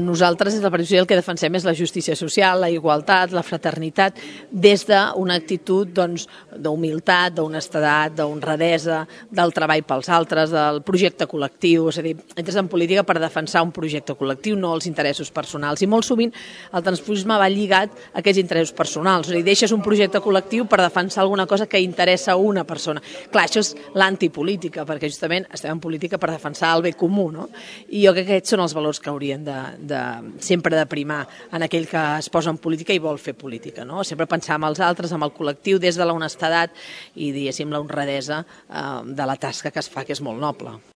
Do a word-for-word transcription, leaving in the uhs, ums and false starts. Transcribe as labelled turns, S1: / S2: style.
S1: Nosaltres, des del Partit Social, el que defensem és la justícia social, la igualtat, la fraternitat, des d'una actitud doncs, d'humilitat, d'honestedat, d'honradesa, del treball pels altres, del projecte col·lectiu. És a dir, entres en política per defensar un projecte col·lectiu, no els interessos personals. I molt sovint el transfugisme va lligat a aquests interessos personals. És a dir, deixes un projecte col·lectiu per defensar alguna cosa que interessa a una persona. Clar, això és l'antipolítica, perquè justament estem en política per defensar el bé comú, no? I jo crec que aquests són els valors que haurien de, de sempre de primar en aquell que es posa en política i vol fer política, no? Sempre pensar en els altres, en el col·lectiu, des de l'honestedat i, diguéssim, la honradesa eh, de la tasca que es fa, que és molt noble.